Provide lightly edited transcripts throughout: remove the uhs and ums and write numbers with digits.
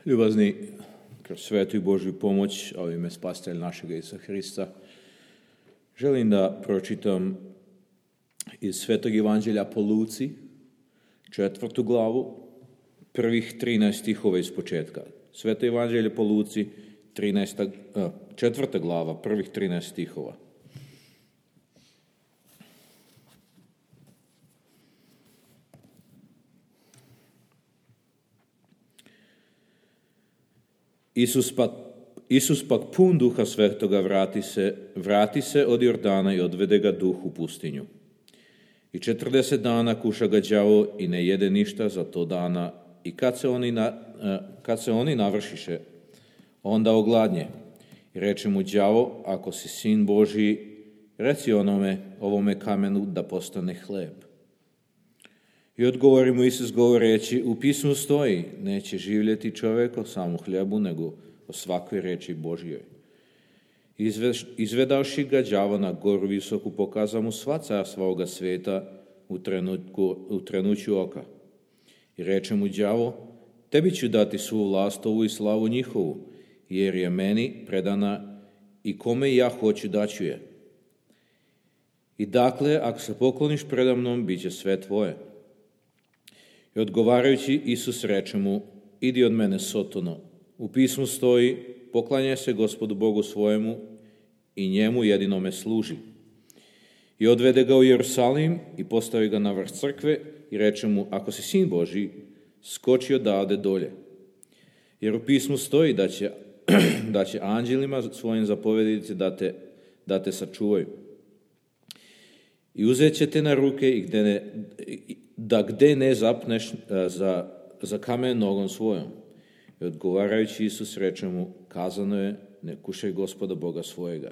Ljubazni, kroz svetu i Božju pomoć, a u ime Spasitelja našega Isusa Hrista, želim da pročitam iz Svetog Evanđelja po Luci, 4. glavu, prvih 13 stihova iz početka. Sveto Evanđelje po Luci, 4. glava, prvih 13 stihova. Isus pak pun Duha Svetoga vrati se od Jordana i odvede ga Duh u pustinju. I 40 dana kuša ga đavo i ne jede ništa za to dana. I kad se oni navršiše, onda ogladnje. I reče mu đavo, ako si sin Božji, reci ovome kamenu da postane hleb. I odgovori mu Isus govoreći, u pismu stoji, neće živjeti čovjek o samom hljebu, nego o svakoj reči Božjoj. Izvedavši ga đavo na goru visoku, pokaza mu sva carstva ovoga sveta u trenuću oka. I reče mu đavo, tebi ću dati svu vlast ovu i slavu njihovu, jer je meni predana i kome ja hoću daću je. I dakle, ako se pokloniš predamnom, bit će sve tvoje. I odgovarajući, Isus reče mu, idi od mene, Sotono. U pismu stoji, poklanjaj se Gospodu Bogu svojemu i njemu jedinome služi. I odvede ga u Jerusalim i postavi ga na vrh crkve i reče mu, ako si sin Božji, skoči odavde dolje. Jer u pismu stoji da će anđelima svojim zapovediti da te sačuvaju. I uzet će te na ruke i gde ne zapneš za kamen nogom svojom. I odgovarajući Isus reče mu, kazano je, ne kušaj Gospoda Boga svojega.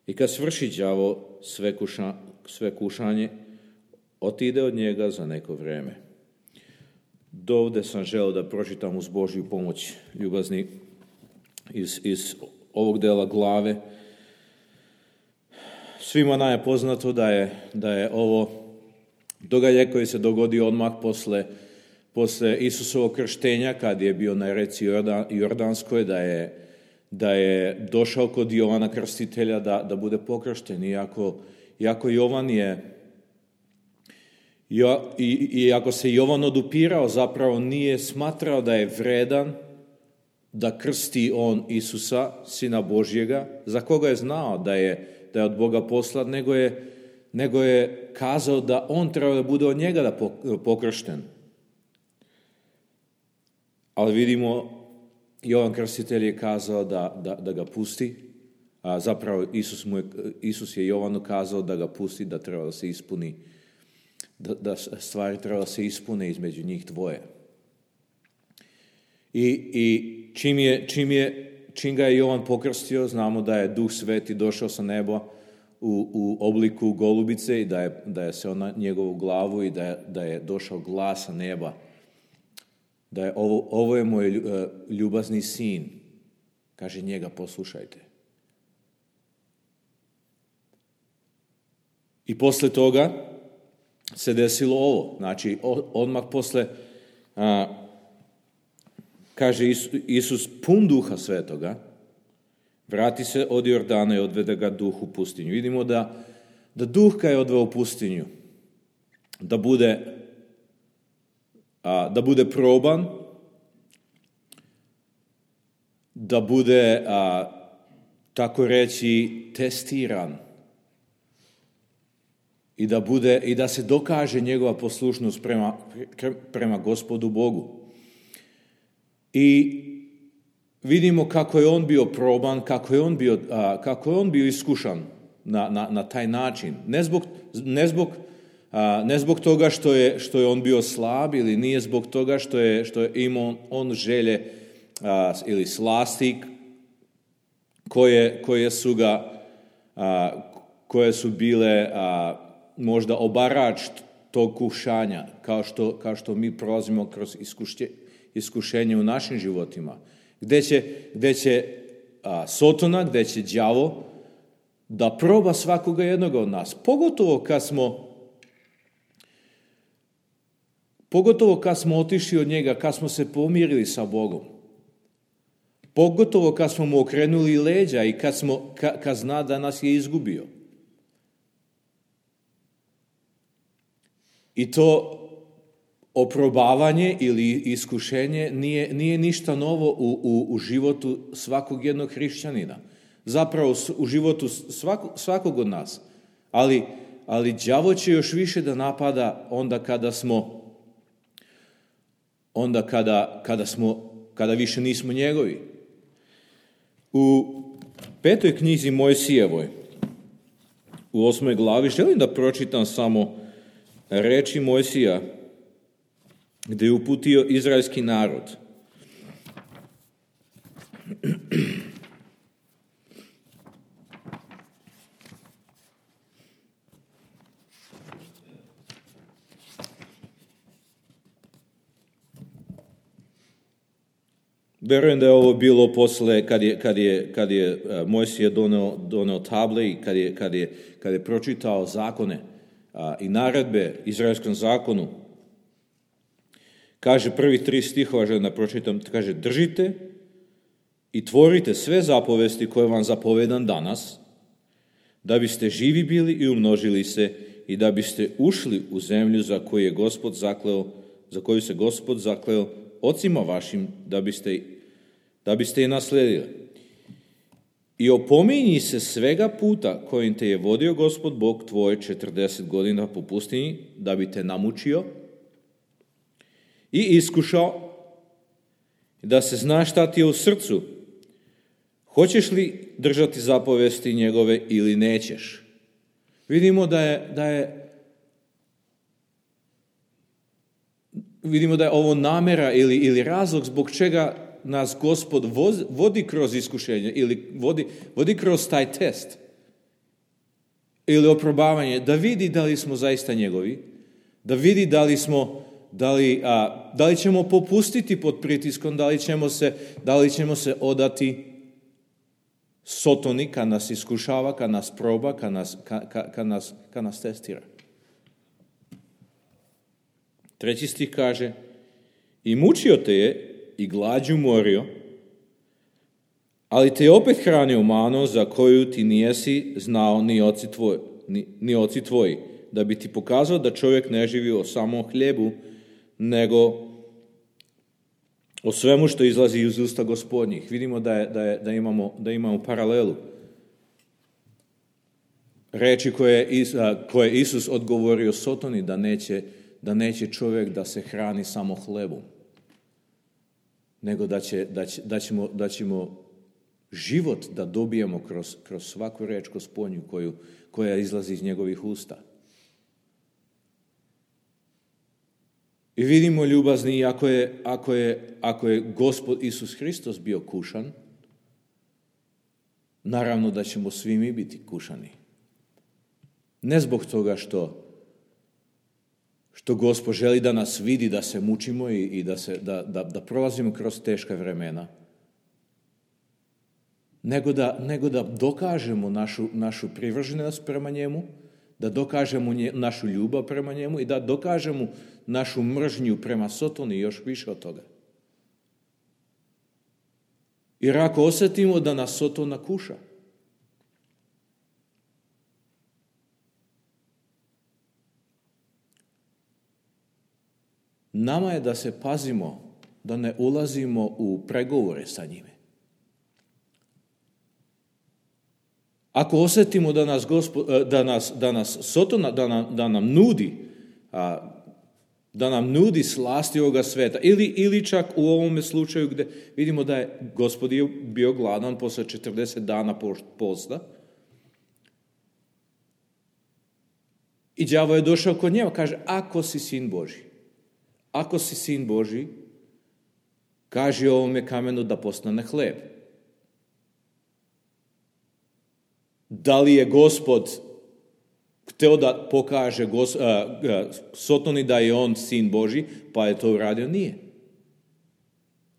I kad svrši đavo sve kušanje, otide od njega za neko vrijeme. Dovde sam želeo da pročitam uz Božju pomoć, ljubazni, iz ovog dela glave. Svima nam je poznato da je ovo događaj koji se dogodio odmah posle Isusovog krštenja, kad je bio na reci Jordanskoj, da je došao kod Jovana Krstitelja da bude pokršten. Iako Jovan iako se Jovan odupirao, zapravo nije smatrao da je vredan da krsti on Isusa, Sina Božjega, za koga je znao da je od Boga poslat, nego je kazao da on treba da bude od njega da pokršten. Ali vidimo, Jovan Krstitelj je kazao da ga pusti, a zapravo Isus je Jovanu kazao da ga pusti, da treba da se ispuni, da stvari treba da se ispune između njih dvoje. I čim ga je Jovan pokrstio, znamo da je Duh Sveti došao sa neba u obliku golubice i da je seo na njegovu glavu i da je došao glas sa neba. Da je ovo je moj ljubazni sin, kaže njega poslušajte. I posle toga se desilo ovo, znači odmah posle, kaže Isus pun Duha Svetoga, vrati se od Jordana i odvede ga Duh u pustinju. Vidimo da Duh ga je odveo u pustinju, da bude proban, da bude, tako reći, testiran i da se dokaže njegova poslušnost prema Gospodu Bogu. I vidimo kako je on bio proban, kako je on bio iskušan na taj način. Ne zbog toga što je on bio slab ili nije zbog toga što je imao on želje ili slasti koje su bile možda obarač tog kušanja, kao što mi prolazimo kroz iskušenje u našim životima. Gde će Sotona, gde će đavo da proba svakoga jednoga od nas. Pogotovo kad smo Pogotovo kad smo otišli od njega, kad smo se pomirili sa Bogom. Pogotovo kad smo mu okrenuli leđa i kad zna da nas je izgubio. I to oprobavanje ili iskušenje nije ništa novo u životu svakog jednog hrišćanina. Zapravo u životu svakog od nas. Ali đavo će još više da napada kada više nismo njegovi. U 5. knjizi Mojsijevoj, u 8. glavi, želim da pročitam samo reči Mojsija, gdje je uputio izraelski narod. Verujem da je ovo bilo posle kad je Mojsije doneo table i kad je pročitao zakone i naredbe izraelskom zakonu. Kaže prvi 3 stihova, želim da pročitam, kaže: držite i tvorite sve zapovesti koje vam zapovedam danas, da biste živi bili i umnožili se i da biste ušli u zemlju za koju se Gospod zakleo ocima vašim, da biste je nasledili. I opominji se svega puta kojim te je vodio Gospod Bog tvoj 40 godina po pustinji, da bi te namučio i iskušao, da se zna šta ti je u srcu. Hoćeš li držati zapovesti njegove ili nećeš? Vidimo da je ovo namera ili razlog zbog čega nas Gospod vodi kroz iskušenje ili vodi kroz taj test ili oprobavanje, da vidi da li smo zaista njegovi, da vidi da li ćemo popustiti pod pritiskom, da li ćemo se odati Sotoni kad nas iskušava, kad nas proba, kad nas testira. 3. stih kaže: i mučio te je i glađu morio, ali te je opet hranio manom za koju ti nijesi znao ni oci tvoji, da bi ti pokazao da čovjek ne živi o samom hljebu, nego o svemu što izlazi iz usta Gospodnjih. Vidimo da imamo paralelu. Reči koje Isus odgovorio Sotoni, da neće čovjek da se hrani samo hlebom, nego da ćemo život da dobijemo kroz svaku reč Gospodnju koja izlazi iz njegovih usta. I vidimo, ljubazni, ako je Gospod Isus Hristos bio kušan, naravno da ćemo svi mi biti kušani. Ne zbog toga što Gospod želi da nas vidi, da se mučimo i da prolazimo kroz teška vremena, nego da dokažemo našu privrženost prema njemu, da dokažemo našu ljubav prema njemu i da dokažemo našu mržnju prema Sotoni, još više od toga. Jer ako osjetimo da nas Sotona kuša, nama je da se pazimo, da ne ulazimo u pregovore sa njime. Ako osjetimo da nas Sotona, da nam nudi slasti ovoga sveta, ili čak u ovome slučaju gdje vidimo da je Gospod bio gladan posle 40 dana posta, i đavo je došao kod njega, kaže: ako si sin Božji, kaži ovome kamenu da postane hleb. Da li je Gospod hteo da pokaže Sotoni da je on sin Božji, pa je to uradio?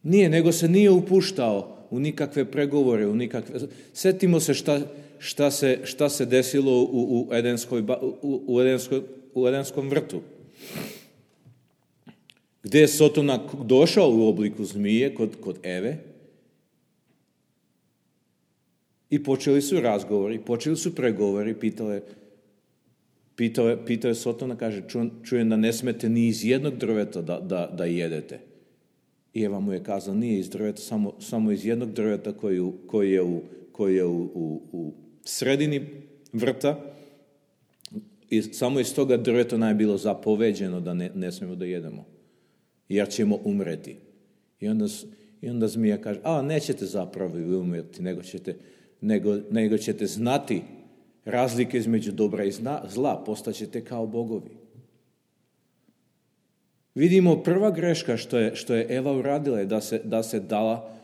Nije, nego se nije upuštao u nikakve pregovore, Sjetimo se šta se desilo u Edenskom vrtu. gdje je Sotona došao u obliku zmije kod Eve i počeli su razgovori, počeli su pregovori, pitao je Sotona, kaže, čujem da ne smete ni iz jednog drveta da jedete. I Eva mu je kazala, nije iz drveta, samo iz jednog drveta koji je u sredini vrta, i samo iz toga drveta nam je bilo zapoveđeno da ne smijemo da jedemo, jer ćemo umreti. I onda zmija kaže, nećete zapravo umreti, nego ćete znati razlike između dobra i zla, postaćete kao bogovi. Vidimo, prva greška što je Eva uradila je da se dala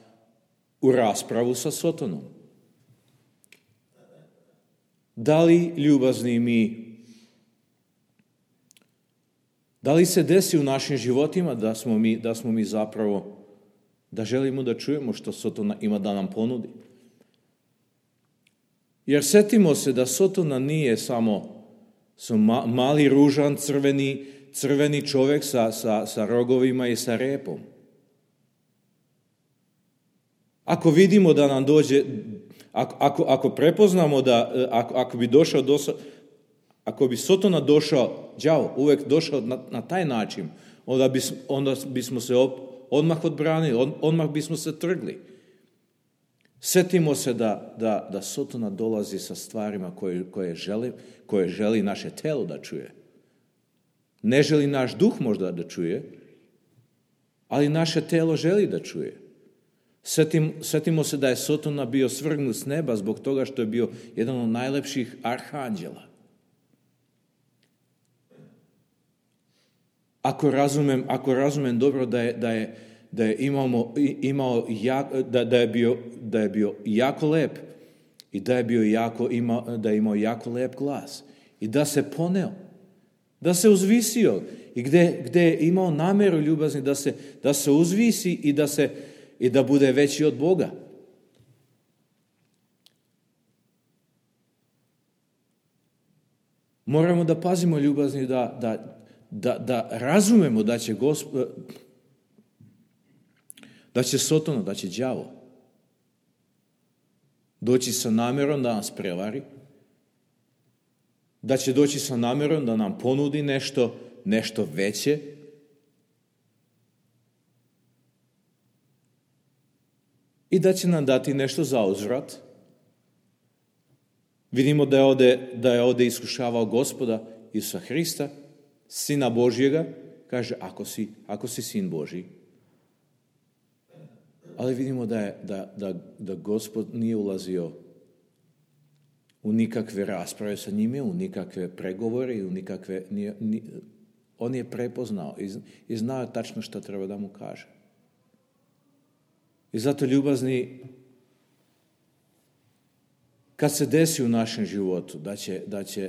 u raspravu sa Sotonom. Da li, ljubazni mi, da li se desi u našim životima da smo mi zapravo, da želimo da čujemo što Sotona ima da nam ponudi? Jer setimo se da Sotona nije samo mali, ružan, crveni čovjek sa rogovima i sa repom. Ako vidimo da nam dođe, ako prepoznamo da, ako bi Sotona došao, đavo, uvijek došao na taj način, onda bismo se odmah odbranili, odmah bismo se trgli. Setimo se da Sotona dolazi sa stvarima koje želi naše telo da čuje. Ne želi naš duh možda da čuje, ali naše telo želi da čuje. Setimo se da je Sotona bio svrgnut s neba zbog toga što je bio jedan od najlepših arhanđela. Ako razumem dobro da je bio jako lep i da je imao jako lep glas i da se poneo, da se uzvisio i gdje je imao namjeru ljubazni da se uzvisi i da bude veći od Boga. Moramo da pazimo, ljubazni, da razumemo da će Sotona, da će đavo doći sa namjerom da nas prevari, da će doći sa namjerom da nam ponudi nešto veće, i da će nam dati nešto za uzvrat. Vidimo da je ovdje iskušavao Gospoda Isusa Hrista, Sina Božjega, kaže, ako si Sin Božji. Ali vidimo da Gospod nije ulazio u nikakve rasprave sa njime, u nikakve pregovore, on je prepoznao i znao tačno što treba da mu kaže. I zato, ljubazni, kad se desi u našem životu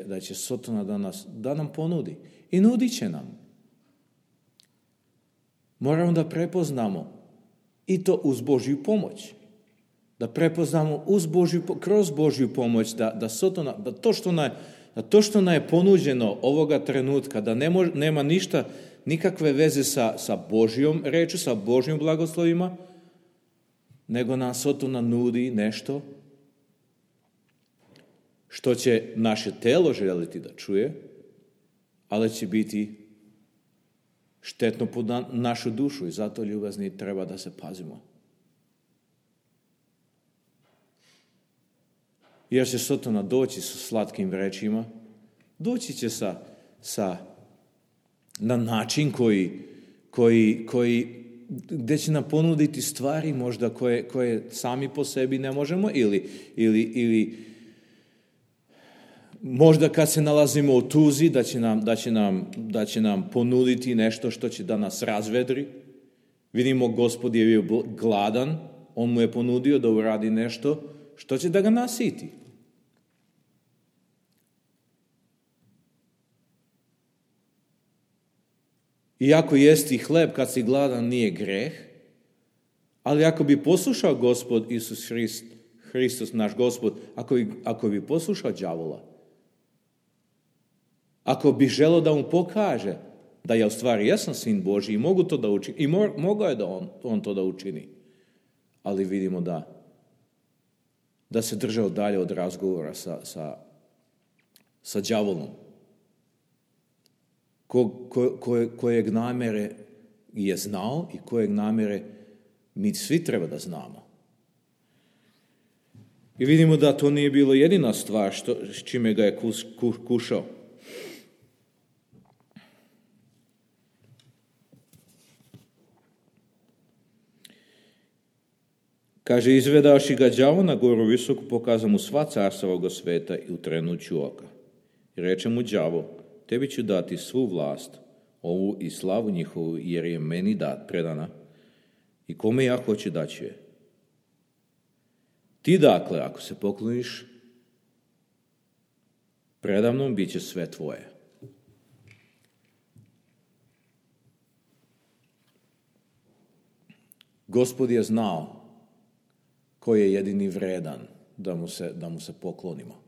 da će Sotona da nam ponudi, i nudit će nam, moramo da prepoznamo i to uz Božju pomoć. Da prepoznamo kroz Božju pomoć da Sotona, da to što nam je ponuđeno ovoga trenutka, da nema ništa, nikakve veze sa Božjom rečju, sa Božjim blagoslovima, nego nam Sotona nudi nešto što će naše telo želiti da čuje, ali će biti štetno po našu dušu, i zato, ljubazni, treba da se pazimo. Jer će Sotona doći sa slatkim rečima, doći će na način koji gdje će nam ponuditi stvari možda koje sami po sebi ne možemo, ili možda kad se nalazimo u tuzi da će nam ponuditi nešto što će da nas razvedri. Vidimo, Gospod je bio gladan, on mu je ponudio da uradi nešto što će da ga nasiti. Iako jesti hleb kad si gladan nije greh, ali ako bi poslušao Gospod Isus Hristos, naš Gospod, ako bi poslušao đavola, ako bi želeo da mu pokaže da ja u stvari jesam sin Božji i mogu to da učinim. I mogao je da on to da učini. Ali vidimo da se držao dalje od razgovora sa đavolom. Kojeg namere je znao i kojeg namere mi svi treba da znamo. I vidimo da to nije bilo jedina stvar s čime ga je kušao. Kaže, izvedavši ga đavo na goru visoku, pokaza mu sva carstva ovoga sveta i u trenuću oka. I reče mu đavo, tebi ću dati svu vlast, ovu i slavu njihovu, jer je meni predana. I kome ja hoću daću je. Ti dakle, ako se pokloniš predamnom, bit će sve tvoje. Gospod je znao ko je jedini vredan da mu se poklonimo.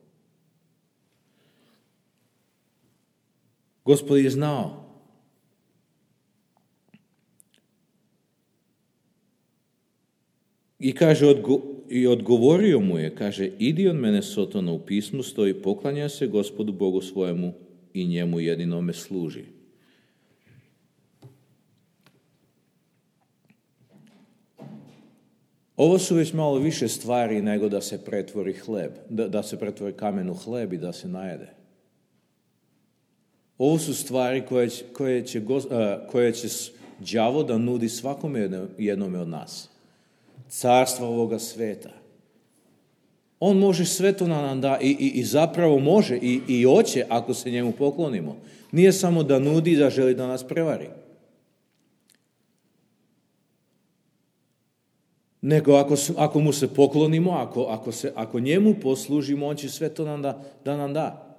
Gospod je znao. I kaže, i odgovorio mu je, kaže, idi od mene Sotona, u pismu stoji, poklanja se Gospodu Bogu svojemu i njemu jedinome služi. Ovo su već malo više stvari nego da se pretvori hleb, da se pretvori kamen u hleb i da se najede. Ovo su stvari koje će đavo da nudi svakome jednome od nas. Carstva ovoga sveta. On može sve to nam da i zapravo može i hoće ako se njemu poklonimo. Nije samo da nudi, da želi da nas prevari. Nego ako mu se poklonimo, ako njemu poslužimo, on će sve to da nam da.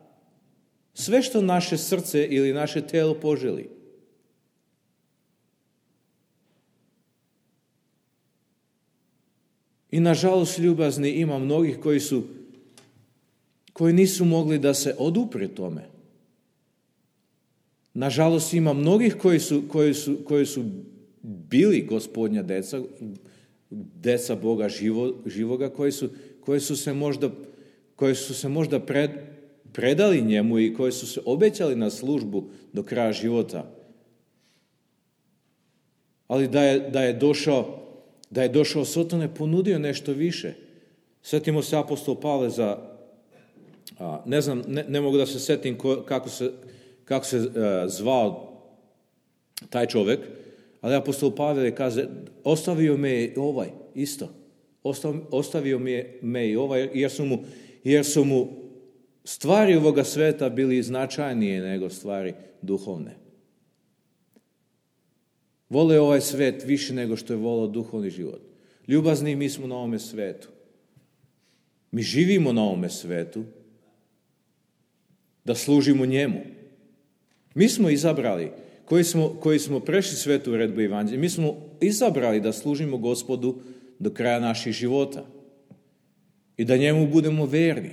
Sve što naše srce ili naše telo poželi. I nažalost, ljubazni, ima mnogih koji nisu mogli da se odupre tome. Nažalost, ima mnogih koji su bili Gospodnja deca Boga živoga, koji su se možda predali njemu i koji su se obećali na službu do kraja života. Ali da je došao Soton je ponudio nešto više. Sjetimo se apostol Pavle ne znam, ne mogu da se setim kako se zvao taj čovjek, ali apostol Pavle kaže, ostavio me je ovaj isto. Ostavio me i ovaj, jer su mu stvari ovoga sveta bili značajnije nego stvari duhovne. Vole ovaj svet više nego što je volao duhovni život. Ljubazni, mi smo na ovome svetu. Mi živimo na ovome svetu da služimo njemu. Mi smo izabrali, koji smo prešli svetu uredbu evanđelja, mi smo izabrali da služimo Gospodu do kraja naših života i da njemu budemo verni.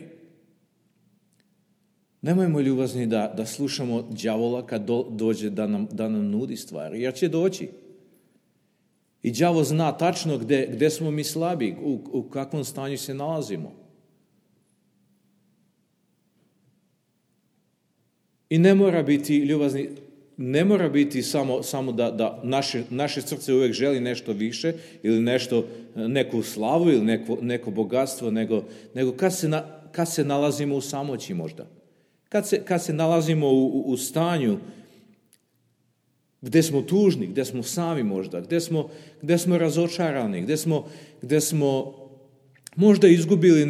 Nemojmo, ljubazni, da slušamo đavola kad dođe da nam nudi stvari, jer će doći. I đavo zna tačno gde smo mi slabi, u kakvom stanju se nalazimo. I ne mora biti, ljubazni, ne mora biti samo da naše srce uvijek želi nešto više ili neku slavu ili neko bogatstvo, nego kad se nalazimo u samoći možda. Kad se nalazimo u stanju gdje smo tužni, gdje smo sami možda, gdje smo razočarani, gdje smo možda izgubili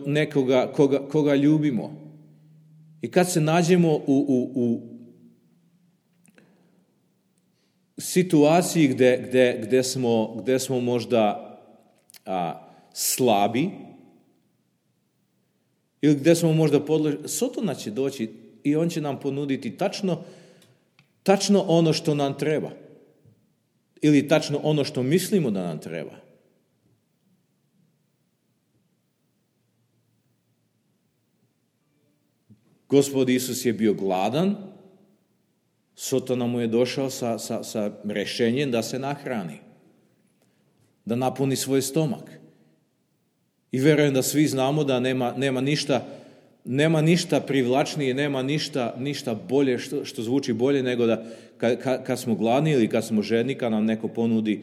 nekoga koga ljubimo. I kad se nađemo u situaciji gdje smo možda slabi, ili gdje smo možda podložni, Sotona će doći i on će nam ponuditi tačno ono što nam treba. Ili tačno ono što mislimo da nam treba. Gospod Isus je bio gladan Sotona mu je došao sa rješenjem da se nahrani, da napuni svoj stomak. I vjerujem da svi znamo da nema ništa privlačnije, nema ništa bolje, što zvuči bolje nego da kad smo gladni ili kad smo žedni, kad nam neko ponudi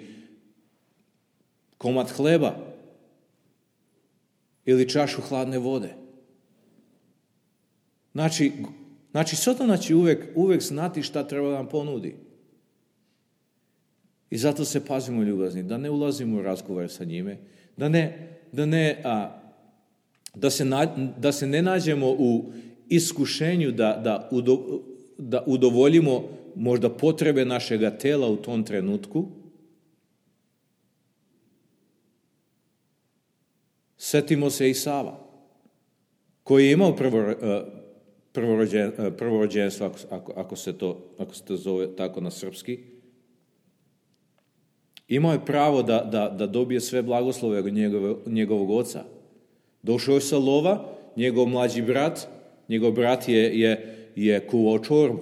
komad hleba ili čašu hladne vode. Znači Sotona će uvijek znati šta treba da nam ponudi. I zato se pazimo, ljubazni, da ne ulazimo u razgovor sa njime, da se ne nađemo u iskušenju da udovoljimo možda potrebe našega tela u tom trenutku. Setimo se Isava, koji je imao prvorođenstvo, ako se to zove tako na srpski. Imao je pravo da dobije sve blagoslove od njegovog oca. Došao je sa lova, njegov brat je kuvao čorbu.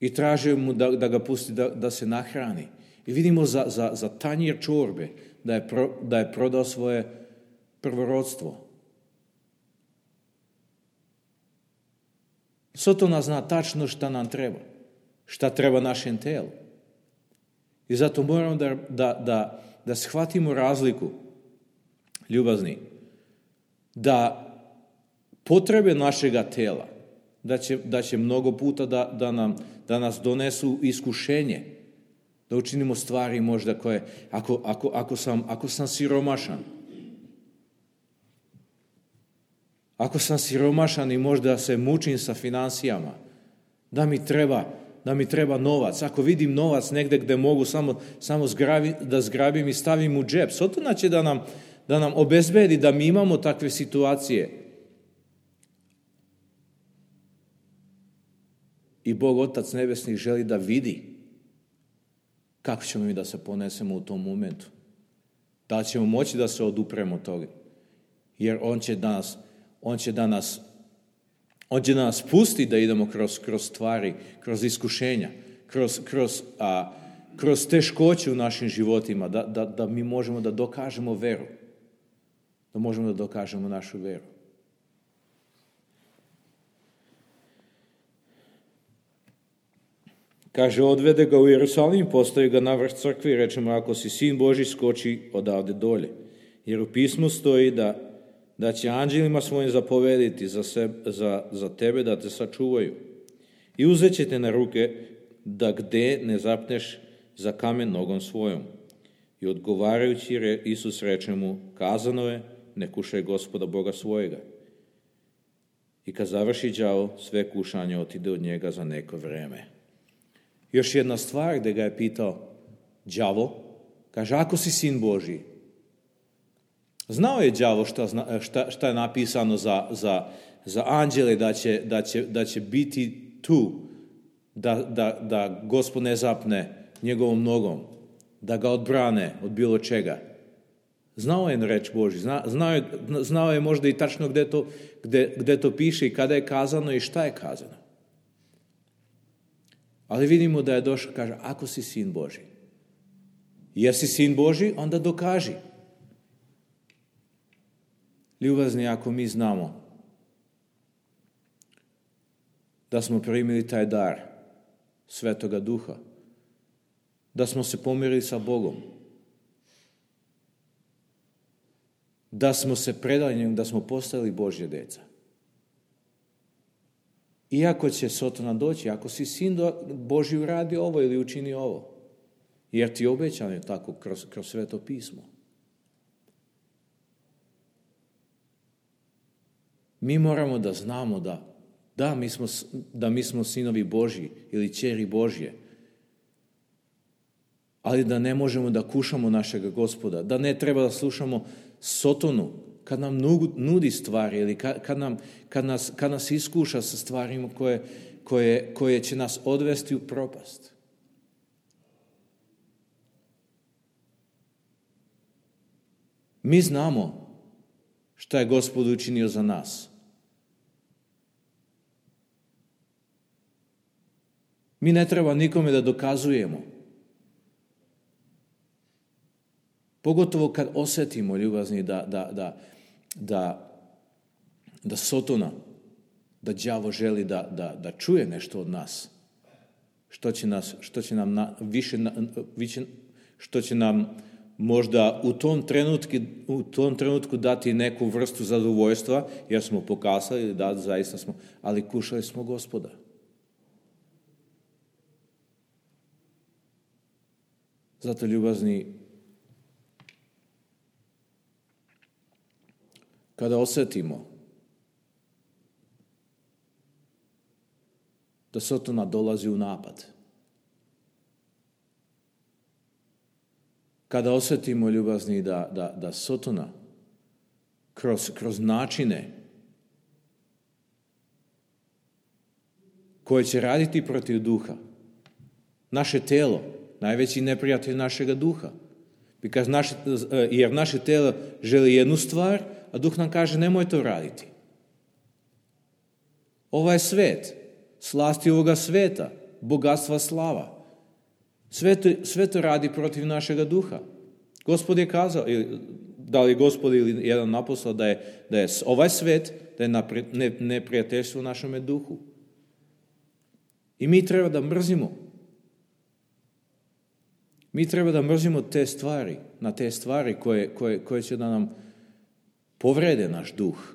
I tražio mu da ga pusti da se nahrani. I vidimo za tanjir čorbe da je prodao svoje prvorodstvo. Sotona zna tačno šta nam treba. Šta treba našem telu. I zato moramo da shvatimo razliku, ljubazni, da potrebe našega tela, da će mnogo puta da nas donesu iskušenje, da učinimo stvari možda koje, ako sam siromašan, ako sam siromašan i možda se mučim sa financijama, da mi treba novac. Ako vidim novac negdje gdje mogu samo da zgrabim i stavim u džep, Sotona će da nam obezbedi da mi imamo takve situacije. I Bog Otac Nebesni želi da vidi kako ćemo mi da se ponesemo u tom momentu. Da ćemo moći da se odupremo toga. Jer On će da nas pusti da idemo kroz stvari, kroz iskušenja, kroz teškoće u našim životima, da mi možemo da dokažemo veru. Da možemo da dokažemo našu veru. Kaže, odvede ga u Jerusalim, postavi ga na vrh crkve i reče mu, ako si sin Božji, skoči odavde dolje. Jer u pismu stoji da će anđelima svojim zapovediti za tebe da te sačuvaju. I uzet će te na ruke da gde ne zapneš za kamen nogom svojom. I odgovarajući Isus reče mu, kazano je, ne kušaj Gospoda Boga svojega. I kad završi đavo, sve kušanje otide od njega za neko vreme. Još jedna stvar gdje ga je pitao đavo, kaže, ako si sin Božji. Znao je đavo šta je napisano za anđele, da će biti tu, da Gospod ne zapne njegovom nogom, da ga odbrane od bilo čega. Znao je reč Božji, znao je možda i tačno gdje to piše i kada je kazano i šta je kazano. Ali vidimo da je došao, kaže, ako si sin Božji. Jesi sin Božji, onda dokaži. Ljubazni, ako mi znamo da smo primili taj dar Svetoga Duha, da smo se pomirili sa Bogom, da smo se predali njemu, da smo postali Božje deca. Iako će Sotona doći, ako si sin Božji, uradi ovo ili učini ovo, jer ti je obećano je tako kroz Sveto pismo. Mi moramo da znamo da mi smo sinovi Božji ili ćeri Božje, ali da ne možemo da kušamo našega Gospoda, da ne treba da slušamo Sotonu kad nam nudi stvari ili kad nas iskuša sa stvarima koje će nas odvesti u propast. Mi znamo šta je Gospod učinio za nas. Mi ne treba nikome da dokazujemo. Pogotovo kad osjetimo, ljubazni, da Sotona, da đavo želi da čuje nešto od nas. Što će nam možda u tom trenutku dati neku vrstu zadovoljstva, jer smo pokazali da zaista smo, ali kušali smo Gospoda. Zato, ljubazni, kada osjetimo da Sotona dolazi u napad, kada osjetimo, ljubazni, da Sotona kroz načine koje će raditi protiv duha, naše telo, najveći neprijatelj našega duha, jer naše telo želi jednu stvar, a duh nam kaže nemoj to raditi. Ovaj svet, slasti ovoga sveta, bogatstva, slava, sve to radi protiv našega duha. Gospod je kazao, da li Gospod ili jedan apostol, da je ovaj svet, da je neprijateljstvo u našem duhu. I mi treba da mrzimo. Mi treba da mrzimo te stvari, na te stvari koje će da nam povrede naš duh,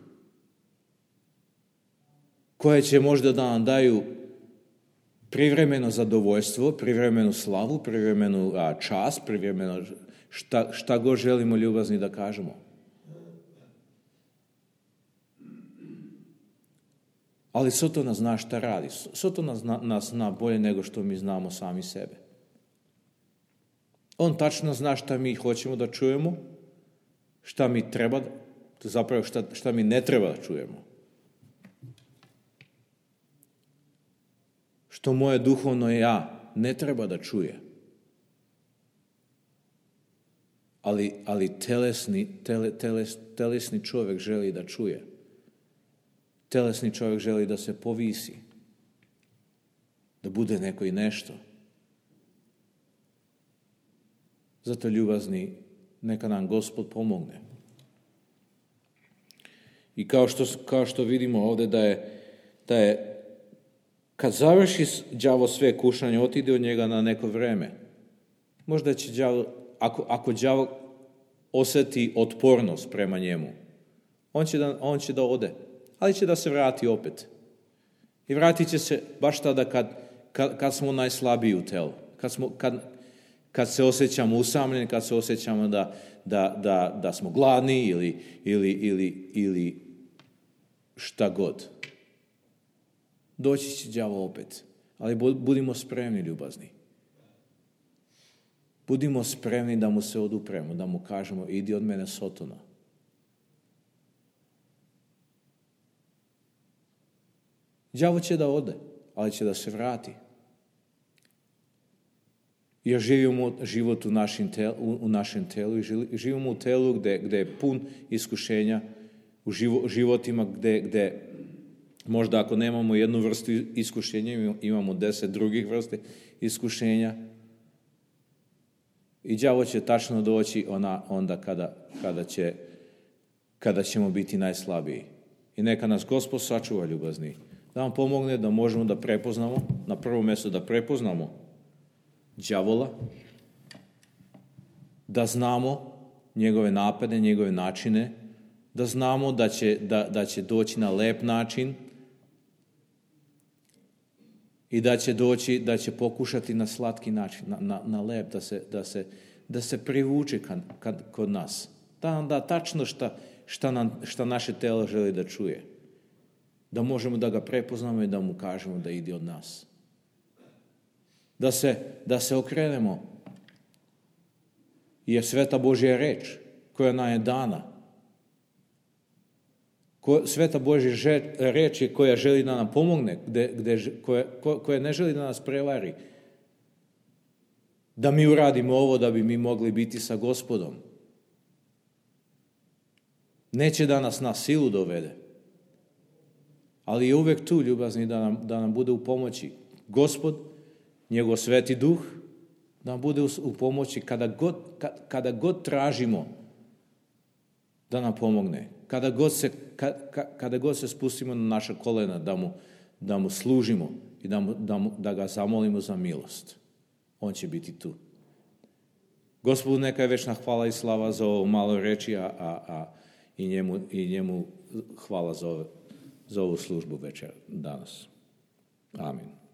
koje će možda da nam daju privremeno zadovoljstvo, privremenu slavu, privremenu čast, privremeno šta god želimo, ljubazni, da kažemo. Ali Sotona zna šta radi. Sotona nas zna bolje nego što mi znamo sami sebe. On tačno zna šta mi hoćemo da čujemo, šta mi treba, zapravo šta mi ne treba da čujemo. Što moje duhovno ja ne treba da čuje. Ali telesni čovjek želi da čuje. Telesni čovjek želi da se povisi, da bude neko i nešto. Zato, ljubazni, neka nam Gospod pomogne. I kao što vidimo ovdje da je kad završi đavo sve kušanje, otide od njega na neko vreme. Možda će đavo, ako đavo osjeti otpornost prema njemu, on će da ode, ali će da se vrati opet. I vratit će se baš tada kad smo najslabiji u telu, kad se osjećamo usamljeni, kad se osjećamo da smo gladni ili šta god. Doći će đavo opet. Ali budimo spremni, ljubazni. Budimo spremni da mu se odupremo, da mu kažemo idi od mene, Sotona. Đavo će da ode, ali će da se vrati. Jer živimo život u našem telu i živimo u telu gdje je pun iskušenja, u životima gdje možda ako nemamo jednu vrstu iskušenja, imamo 10 drugih vrste iskušenja. I đavo će tačno doći onda kada ćemo biti najslabiji. I neka nas Gospod sačuva, ljubazni. Da nam pomogne da možemo da prepoznamo, na prvo mjesto da prepoznamo đavola, da znamo njegove napade, njegove načine, da znamo da će doći na lep način i da će pokušati na slatki način, na lep, da se privuče kod nas. Da nam da tačno šta naše telo želi da čuje. Da možemo da ga prepoznamo i da mu kažemo da ide od nas. Da se okrenemo. Jer sveta Božja reč koja nam je dana, sveta Božja reč je koja želi da nam pomogne, koja ne želi da nas prevari. Da mi uradimo ovo da bi mi mogli biti sa Gospodom. Neće da nas na silu dovede. Ali je uvek tu, ljubazni, da nam bude u pomoći. Gospod njegov Sveti Duh da nam bude u pomoći kada god tražimo da nam pomogne. Kada god se spustimo na naša kolena da mu služimo i da ga zamolimo za milost. On će biti tu. Gospodu neka je večna hvala i slava za ovo malo reči, i njemu hvala za ovu službu večer danas. Amin.